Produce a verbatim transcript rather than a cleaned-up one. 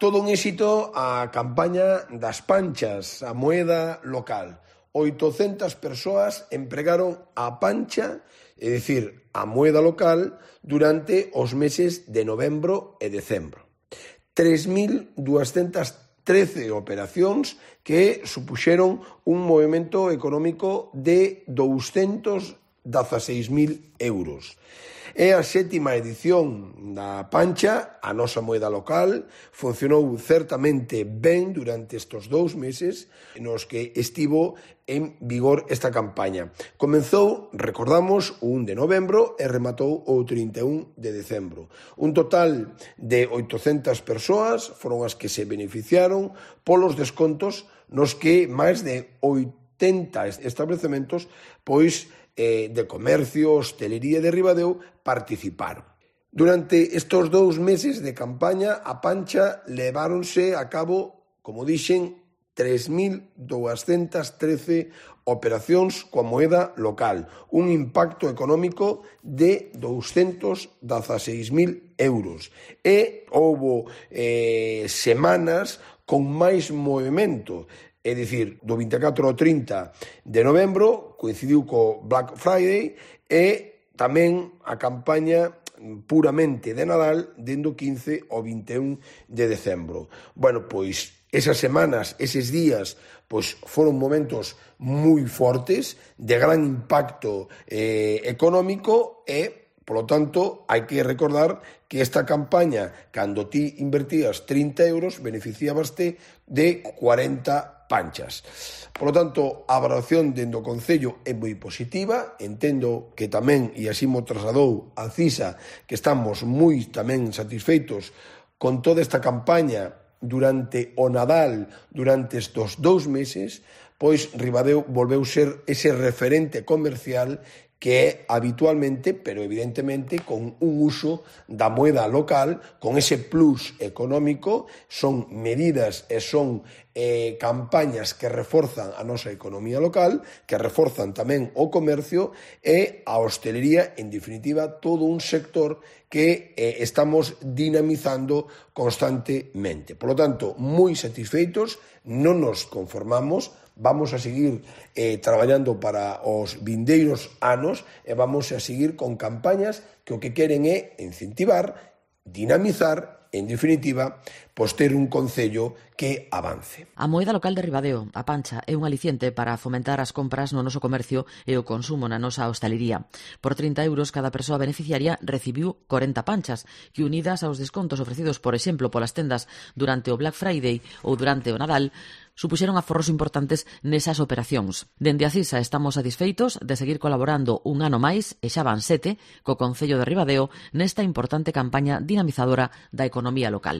Todo un éxito a campaña das panchas, a moeda local. oitocentas persoas empregaron a pancha, é dicir, a moeda local, durante os meses de novembro e decembro. tres mil duascentas trece operacións que supuxeron un movimento económico de douscentos dezaseis mil euros. É a sétima edición da pancha, a nosa moeda local, funcionou certamente ben durante estes dous meses nos que estivo en vigor esta campaña. Comezou, recordamos, o un de novembro e rematou o trinta e un de decembro. Un total de oitocentas persoas foron as que se beneficiaron polos descontos nos que máis de oitenta establecementos pois de comercio, hostelería de Ribadeo participaron. Durante estes dous meses de campaña, a pancha leváronse a cabo, como dixen, tres mil duascentas trece operacións coa moeda local, un impacto económico de douscentos dezaseis mil euros. E houbo eh, semanas con máis movimento. É dicir, do vinte e catro ao trinta de novembro coincidiu co Black Friday e tamén a campaña puramente de Nadal dende o quince ao vinte e un de decembro. Bueno, pois esas semanas, eses días, pois foron momentos moi fortes, de gran impacto eh, económico e Por lo tanto, hai que recordar que esta campaña, cando ti invertías trinta euros, beneficiabaste de cuarenta panchas. Por lo tanto, a valoración dende o Concello é moi positiva. Entendo que tamén, e así mo trasladou a CISA, que estamos moi tamén satisfeitos con toda esta campaña durante o Nadal, durante estes dous meses, pois Ribadeo volveu ser ese referente comercial que é habitualmente, pero evidentemente con un uso da moeda local, con ese plus económico. Son medidas e son eh, campañas que reforzan a nosa economía local, que reforzan tamén o comercio e a hostelería, en definitiva, todo un sector que eh, estamos dinamizando constantemente. Por lo tanto, moi satisfeitos, non nos conformamos, vamos a seguir eh, traballando para os vindeiros anos e vamos a seguir con campañas que o que queren é incentivar, dinamizar, en definitiva, pois ter un concello que avance. A moeda local de Ribadeo, a pancha, é un aliciente para fomentar as compras no noso comercio e o consumo na nosa hostalería. Por trinta euros, cada persoa beneficiaria recibiu corenta panchas, que unidas aos descontos ofrecidos, por exemplo, polas tendas durante o Black Friday ou durante o Nadal, supuxeron aforros importantes nesas operacións. Dende a CISA estamos satisfeitos de seguir colaborando un ano máis, e xa van sete, co Concello de Ribadeo nesta importante campaña dinamizadora da economía local.